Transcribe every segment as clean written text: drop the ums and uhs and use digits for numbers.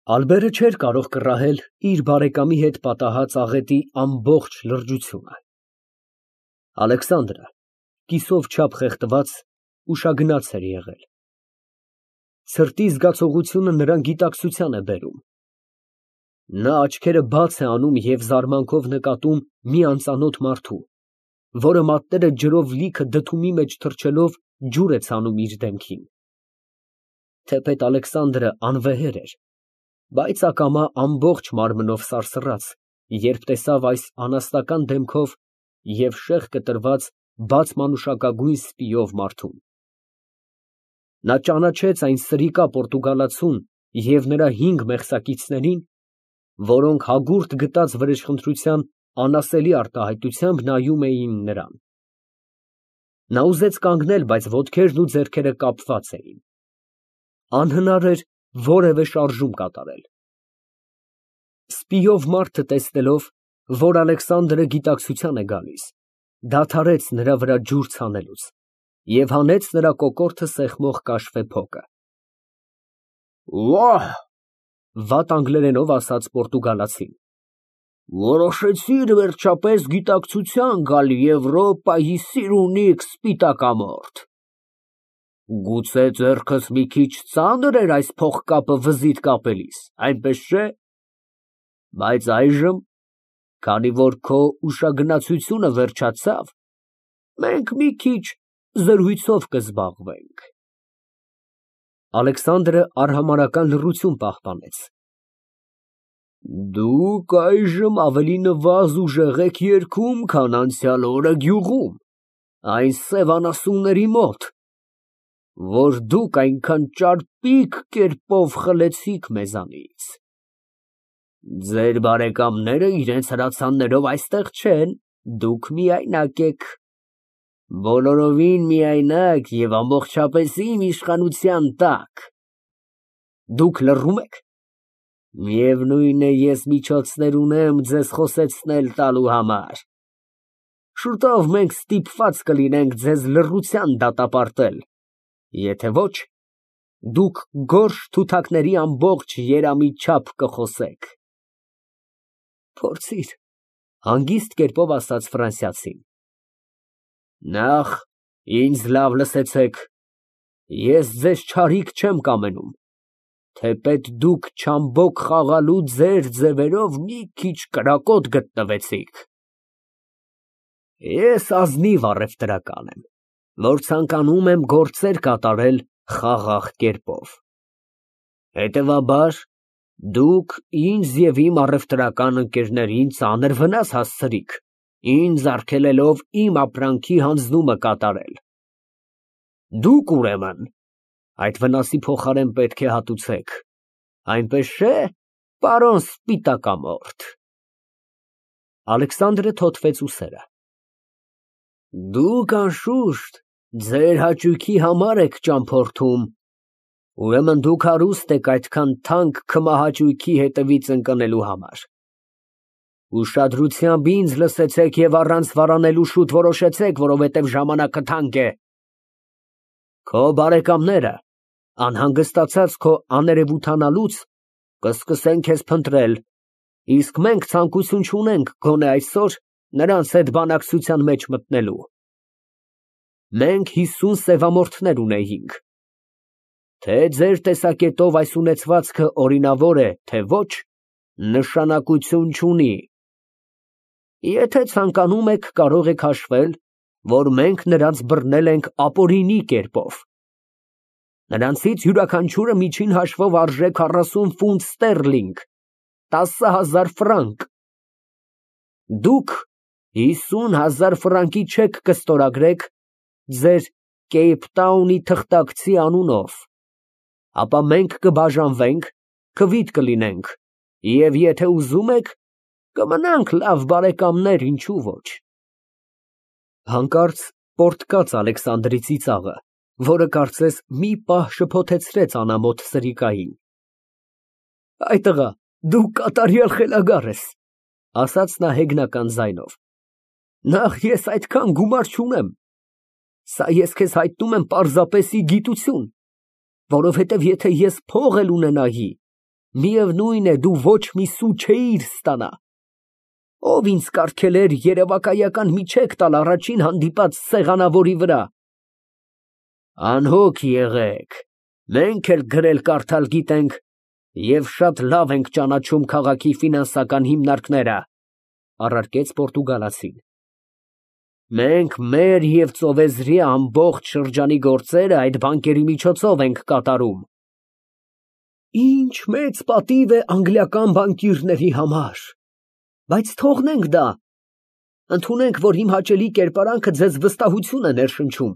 Ալբերը չէր կարող կռահել իր բարեկամի հետ պատահած աղետի ամբողջ լրջությունը։ Ալեքսանդրը կիսով չափ խեղդված, ուշագնաց էր եղել։ Սրտի զգացողությունը նրան գիտակցության է բերում։ Նա աչքերը բաց է անում և զարմանքով նկատում մի անծանոթ մարդու, որը մատները ջրով լիքը դդումի մեջ թռչելով ջուր է ցանում իր դեմքին։ Թեպետ Ալեքսանդրը անվեհեր էր, բայց ակամա ամբողջ մարմնով սարսռաց, երբ տեսավ այս անաստական դեմքով և շեղ կտրված բաց մանուշակագույն սպիով մարդուն։ Նա ճանաչեց այն սրիկա պորտուգալացուն և նրա 5 մեղսակիցներին, որոնք հագուրդ գտած վրեժխնդրության անասելի արտահայտությամբ նայում էին նրան։ Նա ուզեց կանգնել, բայց ոտքերն ու ձեռքերը կապված էին։ Անհնար էր որևէ շարժում կատարել։ Սպիով մարդը տեսնելով, որ Ալեքսանդրը գիտակցության է գալիս, դադարեց նրա վրա ջուր ցանելուց և հանեց նրա կոկորդը սեղմող կաշվե փոկը։ Վահ, վատ անգլերենով ասաց պորտուգալացին, որոշեցիր վերջապես գիտակցության գալ Եվրոպայի սիրունիկ սպիտակամորթ։ Գուցե ձեռքս մի քիչ ծանր էր այս փողկապը վզիդ կապելիս, այնպես չէ՞։ Բայց այժմ, քանի որ քո ուշագնացությունը վերջացավ, մենք մի քիչ զրույցով կզբաղվենք։ Ալեքսանդրը արհամարհական լռություն պահպանեց։ Դուք այժմ ավելի նվազ ուժեղ եք երգում, քան անցյալ օրը գյուղում, այն սև անասունների մոտ, որ դուք այնքան ճարպիկ կերպով խլեցիք մեզանից։ Ձեր բարեկամները իրենց հրացաններով այստեղ չեն, դուք միայնակ եք, բոլորովին միայնակ և ամբողջապես իմ իշխանության տակ։ Դուք լռում եք։ Միևնույն է, ես միջոցներ ունեմ ձեզ խոսեցնել տալու համար։ Շուտով մենք ստիպված կլինենք ձեզ լռության դատապարտել, եթե ոչ, դուք գորշ թութակների ամբողջ երամի չափ կխոսեք։ Փորձիր, հանգիստ կերպով ասաց ֆրանսիացին։ Նախ ինձ լավ լսեցեք, ես ձեզ չարիք չեմ կամենում, թեպետ դուք չամբոք խաղալու ձեր ձևերով մի քիչ կրակոտ գտնվեցիք։ Ես ազնիվ առևտրական եմ, որ ցանկանում եմ գործեր կատարել խաղաղ կերպով։ Հետևաբար, դուք ինձ և իմ առևտրական ընկերներին ծանր վնաս հասցրիք, ինձ արգելելով իմ ապրանքի հանձնումը կատարել։ Դուք, ուրեմն, այդ վնասի փոխարեն պետք է հատուցեք, այնպես չէ՞, պարոն սպիտակամորթ։ Ալեքսանդրը թոթվեց ուսերը։ Դուք, անշուշտ, ձեր հաճույքի համար եք ճամփորդում, ուրեմն դուք հարուստ եք այդքան թանկ քմահաճույքի հետևից ընկնելու համար։ Ուշադրությամբ ինձ լսեցեք և առանց վարանելու շուտ որոշեցեք, որովհետև ժամանակը թանկ է։ Քո բարեկամները, անհանգստացած քո աներևութանալուց, կսկսեն քեզ փնտրել, իսկ մենք ցանկություն չունենք գոնե այսօր նրանց հետ բանակցության մեջ մտնելու։ Մենք 50 սևամորթներ ունեինք։ Թե ձեր տեսակետով այս ունեցվածքը օրինավոր է, թե ոչ, նշանակություն չունի։ Եթե ցանկանում եք, կարող եք հաշվել, որ մենք նրանց բռնել ենք ապօրինի կերպով։ Նրանցից յուրաքանչյուրը միջին հաշվով արժե 40 ֆունտ ստերլինգ, 10,000 ֆրանկ։ Դուք 50,000 ֆրանկի չեք կստորագրեք ձեր Կեյփթաունի թղթակցի անունով, ապա մենք կբաժանվենք, քվիթ կլինենք, և եթե ուզում եք, կմնանք լավ բարեկամներ, ինչու ոչ։ Հանկարծ պոռթկաց Ալեքսանդրի ծիծաղը, որը կարծես մի պահ շփոթեցրեց անամոթ սրիկային։ Այ տղա, դու կատարյալ խելագար ես, ասաց նա հեգնական ձայնով։ Նախ ես այդքան գումար չունեմ, սա ես քեզ հայտնում եմ պարզապես ի գիտություն, որովհետև եթե ես փող էլ ունենայի, Միևնույն է, դու ոչ մի սու չէիր ստանա։ Ով ինձ կարգել էր երևակայական մի չեք տալ առաջին հանդիպած սեղանավորի վրա։ Անհոգ եղեք, մենք էլ գրել֊կարդալ գիտենք և շատ լավ ենք ճանաչում քաղաքի ֆինանսական հիմնարկները, առարկեց պորտուգալացին։ Մենք մեր և ծովեզրի ամբողջ շրջանի գործերը այդ բանկերի միջոցով ենք կատարում։ Ինչ մեծ պատիվ է անգլիական բանկիրների համար, բայց թողնենք դա, ընդունենք, որ իմ հաճելի կերպարանքը ձեզ վստահություն է ներշնչում,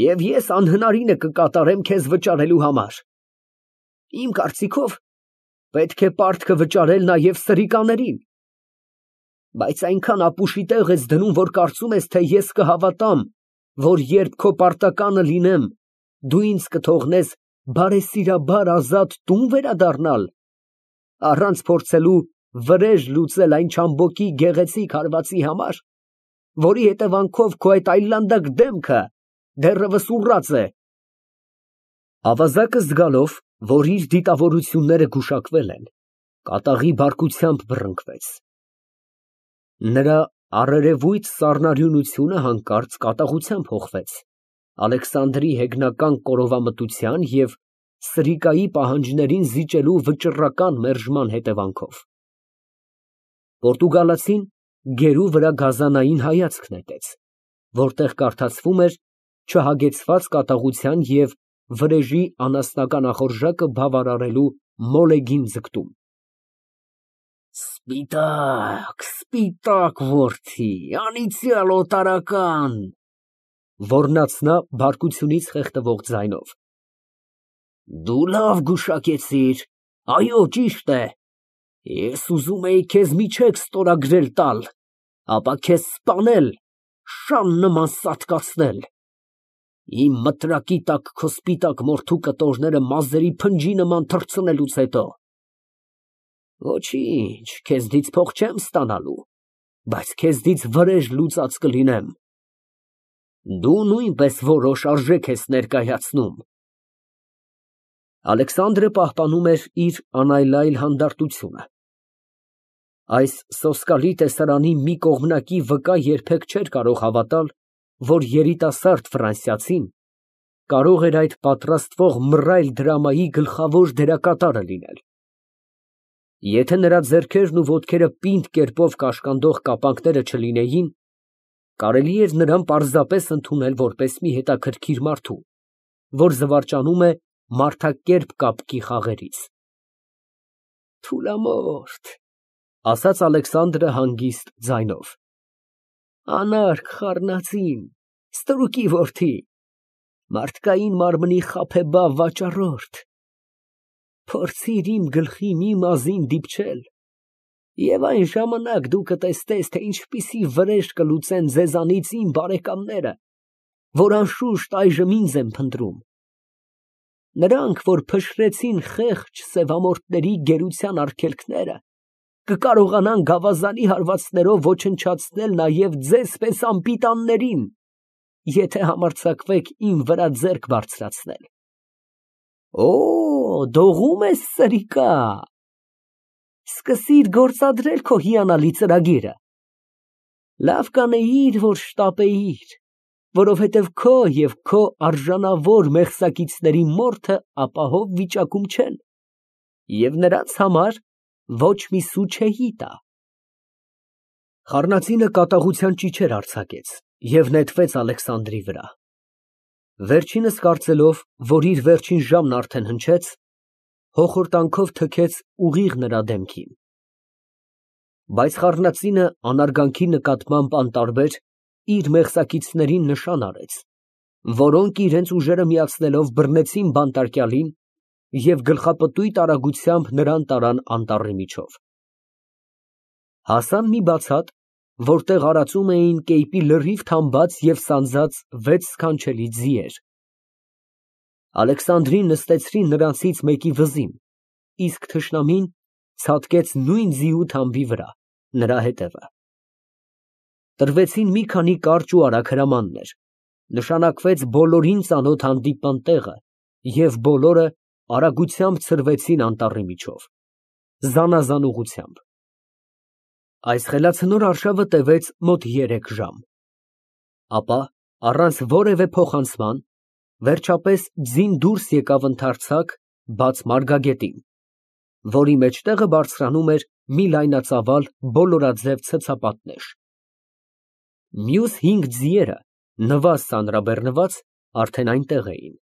և ես անհնարինը կկատարեմ քեզ վճարելու համար։ Իմ կարծիքով, պետք է պարտքը վճարել նաև սրիկաներին, բայց այնքան ապուշի տեղ ես դնում, որ կարծում ես, թե ես կհավատամ, որ երբ քո պարտականը լինեմ, դու ինձ կթողնես բարեսիրաբար ազատ տուն վերադառնալ, առանց փորձելու վրեժ լուծել այն չամբոկի գեղեցիկ հարվածի համար, որի հետևանքով քո այդ այլանդակ դեմքը դեռևս ուռած է։ Ավազակը զգալով, որ իր դիտավորությունները գուշակվել են, կատաղի բարկությամբ բռնկվեց։ Նրա առերևույթ սառնարյունությունը հանկարծ կատաղությամբ հոխվեց Ալեքսանդրի հեգնական կորովամտության և սրիկայի պահանջներին զիջելու վճռական մերժման հետևանքով։ Պորտուգալացին գերու վրա գազանային հայացք նետեց, որտեղ կարդացվում էր չհագեցված կատաղության և վրեժի անասնական ախորժակը բավարարելու մոլեգին ձգտում։ Սպիտակ, սպիտակ որդի, անիծյալ օտարական, ոռնաց նա բարկությունից խեղդվող ձայնով։ Դու լավ գուշակեցիր, այո, ճիշտ է, ես ուզում էի քեզ մի չեք ստորագրել տալ, ապա քեզ սպանել, շան նման սատկացնել, իմ մտրակի տակ քո սպիտակ մորթու կտորները մազերի փնջի նման թռցնելուց հետո։ Ոչինչ, քեզնից փող չեմ ստանալու, բայց քեզնից վրեժ լուծած կլինեմ։ Դու նույնպես որոշ արժեք ես ներկայացնում։ Ալեքսանդրը պահպանում էր իր անայլայլ հանդարտությունը։ Այս սոսկալի տեսարանի մի կողմնակի վկա երբեք չէր կարող հավատալ, որ երիտասարդ ֆրանսիացին կարող էր այդ պատրաստվող մռայլ դրամայի գլխավոր դերակատարը լինել։ Եթե նրա ձեռքերն ու ոտքերը պինդ կերպով կաշկանդող կապանքները չլինեին, կարելի էր նրան պարզապես ընդունել որպես մի հետաքրքիր մարդու, որ զվարճանում է մարդակերպ կապկի խաղերից։ Թուլամորթ, ասաց Ալեքսանդրը հանգիստ ձայնով, անարգ խառնածին, ստրուկի որդի, մարդկային մարմնի խաբեբա վաճառորդ, փորձիր իմ գլխի մի մազին դիպչել, և այն ժամանակ դու կտեսնես, թե ինչպիսի վրեժ կլուծեն ձեզանից իմ բարեկամները, որ անշուշտ այժմ ինձ են փնտրում։ Նրանք, որ փշրեցին խեղճ սևամորթների գերության արգելքները, կկարողանան գավազանի հարվածներով ոչնչացնել նաև ձեզ պես անպիտաններին, եթե համարձակվեք իմ վրա ձեռք բարձրացնել։ Օ, դողում ես, սրիկա, սկսիր գործադրել քո հիանալի ծրագիրը։ Լավ կանեիր, որ շտապեիր, որովհետև քո և քո արժանավոր մեղսակիցների մորթը ապահով վիճակում չեն, և նրանց համար ոչ մի սու չէի տա։ Խառնածինը կատաղության ճիչեր արձակեց և նետվեց Ալեքսանդրի վրա։ Վերջինս կարծելով, որ իր վերջին ժամն արդեն հնչեց, հոխորտանքով թքեց ուղիղ նրա դեմքին։ Բայց խառնածինը անարգանքի նկատմամբ անտարբեր իր մեղսակիցներին նշան արեց, որոնք իրենց ուժերը միացնելով բռնեցին բանտարկյալին և գլխապտույտ արագությամբ նրան տարան անտառի միջով։ Հասան մի բացատ, որտեղ արածում էին կեպի լրիվ թամբած և սանձած 6 սքանչելի ձիեր։ Ալեքսանդրին նստեցրին նրանցից մեկի վզին, իսկ թշնամին ցատկեց նույն ձիու թամբի վրա, նրա հետևը։ Տրվեցին մի քանի կարճ ու արագ հրամաններ, նշանակվեց բոլորին ծանոթ հանդիպման տեղը, և բոլորը արագությամբ ցրվեցին անտառի միջով, զանազան ուղղությամբ։ Այս խելացնոր արշավը տևեց մոտ 3 ժամ, ապա առանց որևէ փոխանցման, վերջապես ձին դուրս եկավ ընդարձակ, բաց մարգագետին, որի մեջտեղը բարձրանում էր մի լայնածավալ բոլորաձև ցցապատնեշ։ Մյուս 5 ձիերը, նվազ ծանրաբեռնված, արդեն այնտեղ էին։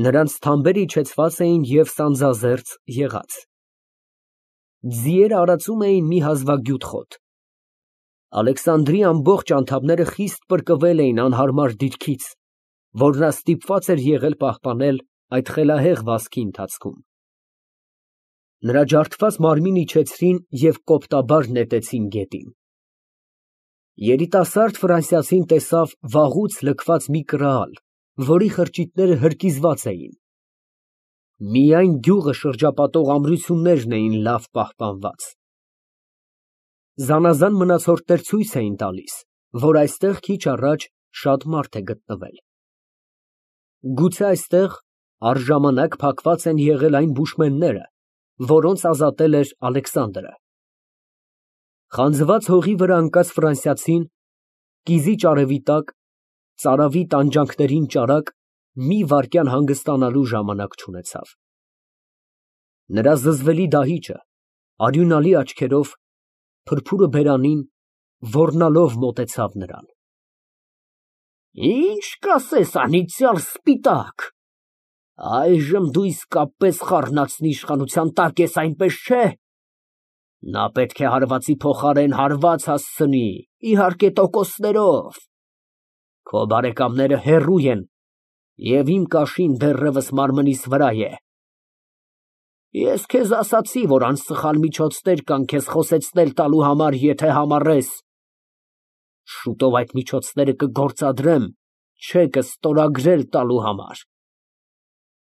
Նրանց թամբերը իջեցված էին և սանձազերծ եղած։ Ձիերը արածում էին մի հազվագյուտ խոտ։ Ալեքսանդրի ամբողջ անդամները խիստ պրկվել էին անհարմար դիրքից, որ նա ստիպված էր եղել պահպանել այդ խելահեղ վազքի ընթացքում։ Նրա ջարդված մարմինը իջեցրին և կոպտաբար նետեցին գետին։ Երիտասարդ ֆրանսիացին տեսավ վաղուց լքված մի կրահալ, որի խրճիթները հրկիզված էին։ Միայն գյուղը շրջապատող ամրություններն էին լավ պահպանված։ Զանազան մնացորդներ ցույց էին տալիս, որ այստեղ քիչ առաջ շատ մարդ է գտնվել։ Գուցե այստեղ առժամանակ փակված են եղել այն բուշմենները, որոնց ազատել էր Ալեքսանդրը։ Խանձված հողի վրա ընկած ֆրանսիացին, կիզի ճարևի տակ, ծարավի տանջանքներին ճարակ, մի վայրկյան հանգստանալու ժամանակ չունեցավ։ Նրա զզվելի դահիճը, արյունալի աչքերով, փրփուրը բերանին, ոռնալով մոտեցավ նրան։ Ինչ կասես, անիծյալ սպիտակ, այժմ դու իսկապես խառնածնի իշխանության տակ ես, այնպես չէ։ Նա պետք է հարվածի փոխարեն հարված հասցնի, իհարկե տոկոսներով։ Քո բարեկամները հեռու են, և իմ կաշին դեռևս մարմնիս վրա է։ Ես քեզ ասացի, որ անսխալ միջոցներ կան քեզ խոսեցնել տալու համար, եթե համառես։ Շուտով այդ միջոցները կգործադրեմ չեկը ստորագրել տալու համար։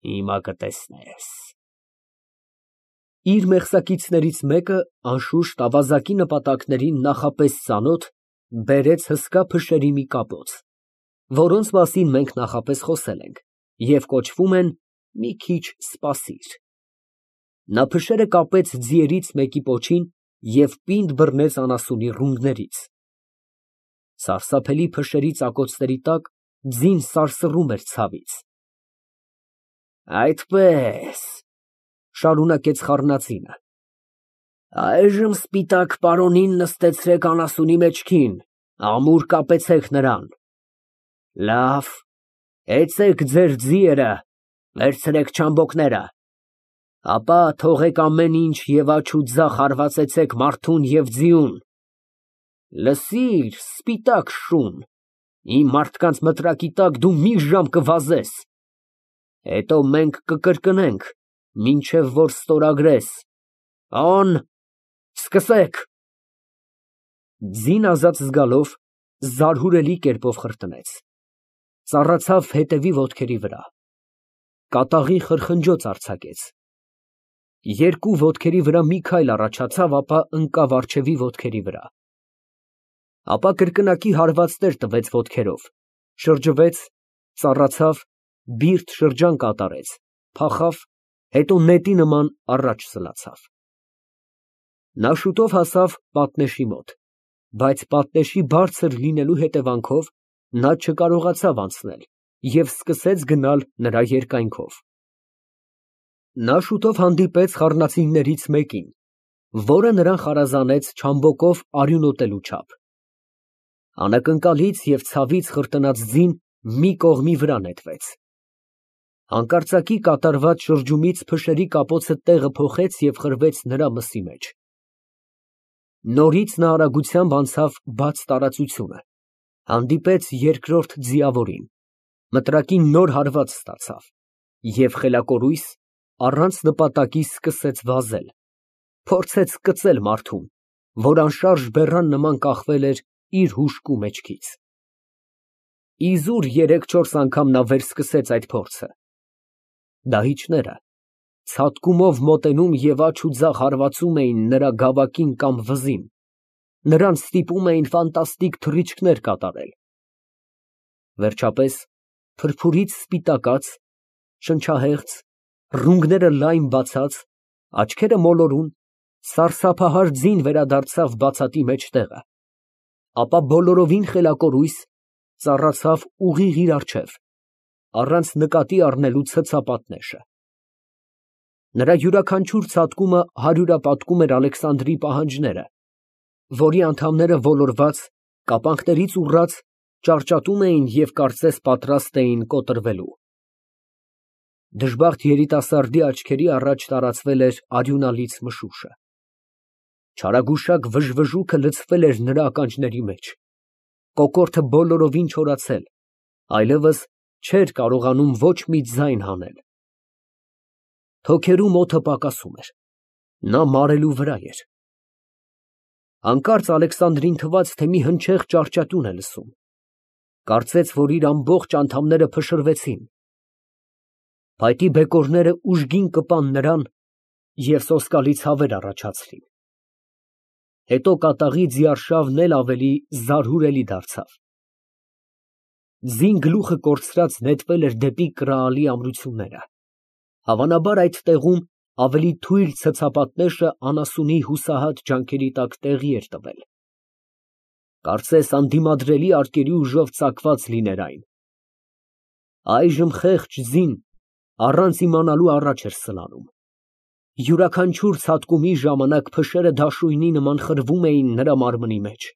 Հիմա կտեսնես։ Իր մեղսակիցներից մեկը, անշուշտ ավազակի նպատակներին նախապես ծանոթ, բերեց հսկա փշերի մի կապոց, որոնց մասին մենք նախապես խոսել ենք և կոչվում են «մի քիչ սպասիր»։ Նա փշերը կապեց ձիերից մեկի պոչին և պինդ բռնեց անասունի ռունգներից։ Սարսափելի փշերի ծակոցների տակ ձին սարսռում էր ցավից։ Այդպես, շարունակեց խառնածինը, այժմ սպիտակ պարոնին նստեցրեք անասունի մեջքին, ամուր կապեցեք նրան։ Լավ, հեծեք ձեր ձիերը, վերցրեք չամբոկները, ապա թողեք ամեն ինչ և աջ ու ձախ հարվածեցեք մարդուն և ձիուն։ Լսիր, սպիտակ շուն, իմ մարդկանց մտրակի տակ դու մի ժամ կվազես, հետո մենք կկրկնենք, մինչև որ ստորագրես։ Օն, սկսեք։ Ձին ազատ զգալով, զարհուրելի կերպով խրտնեց, ծառացավ հետևի ոտքերի վրա, կատաղի խրխնջոց արձակեց, երկու ոտքերի վրա մի քայլ առաջացավ, ապա ընկավ առջևի ոտքերի վրա, ապա կրկնակի հարվածներ տվեց ոտքերով, շրջվեց, ծառացավ, բիրտ շրջան կատարեց, փախավ, հետո նետի նման առաջ սլացավ։ Նա շուտով հասավ պատնեշի մոտ, բայց պատնեշի բարձր լինելու հետևանքով նա չկարողացավ անցնել և սկսեց գնալ նրա երկայնքով։ Նա շուտով հանդիպեց խառնածիններից մեկին, որը նրան խարազանեց չամբոկով արյունոտելու չափ։ Անակնկալից և ցավից խրտնած ձին մի կողմի վրա նետվեց։ Հանկարծակի կատարված շրջումից փշերի կապոցը տեղը փոխեց և խրվեց նրա մսի մեջ։ Նորից նա արագությամբ անցավ բաց տարածությունը, հանդիպեց երկրորդ ձիավորին, մտրակին նոր հարված ստացավ և խելակորույս, առանց նպատակի սկսեց վազել, փորձեց կծել մարդուն, որ անշարժ բեռան նման կախվել էր իր հուժկու մեջքից։ Իզուր 3-4 անգամ նա վերսկսեց այդ փորձը։ Դահիճները ցատկումով մոտենում և աջ ու ձախ հարվածում էին նրա գավակին կամ վզին, նրան ստիպում էին ֆանտաստիկ թռիչքներ կատարել։ Վերջապես, փրփուրից սպիտակած, շնչահեղձ, ռունգները լայն բացած, աչքերը մոլորուն, սարսափահար ձին վերադարձավ բացատի մեջտեղը, ապա բոլորովին խելակորույս ծառացավ ուղիղ իր առջև, առանց նկատի առնելու ցցապատնեշը։ Նրա յուրաքանչյուր ցատկումը հարյուրապատկում էր Ալեքսանդրի պահանջները, որի անդամները ոլորված, կապանքներից ուռած, ճարճատում էին և կարծես պատրաստ էին կոտրվելու։ Դժբախտ երիտասարդի աչքերի առաջ տարածվել էր արյունալից մշուշը։ Չարագուշակ վժվժուկը լցվել էր նրա ականջների մեջ, կոկորդը բոլորովին չորացել, այլևս չէր կարողանում ոչ մի ձայն հանել։ Թոքերում օդը պակասում էր, նա մարելու վրա էր։ Հանկարծ Ալեքսանդրին թվաց, թե մի հնչեղ ճահճատյուն է լսում, կարծեց, որ իր ամբողջ անդամները փշրվեցին։ Փայտի բեկորները ուժգին կպան նրան և սոսկալի ցավեր առաջացրին։ Հետո կատաղի ձիարշավն էլ ավելի զարհուրելի դարձավ։ Ձին գլուխը կորցրած նետվել էր դեպի կրալի ամրությունները։ Հավանաբար այդ տեղում ավելի թույլ ցցապատնեշը անասունի հուսահատ ջանքերի տակ տեղի էր տվել։ Կարծես անդիմադրելի արկերի ուժով ծակված լիներ այն։ Այժմ խեղճ ձին առանց իմանալու առաջ էր սլանում։ Յուրաքանչյուր ցատկումի ժամանակ փշերը դաշույնի նման խրվում էին նրա մարմնի մեջ։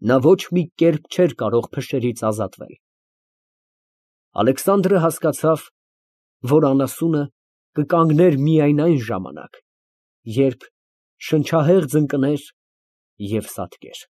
Նա ոչ մի կերպ չէր կարող փշերից ազատվել։ Ալեքսանդրը հասկացավ, որ անասունը կկանգներ միայն այն ժամանակ, երբ շնչահեղձ ընկներ և սատկեր։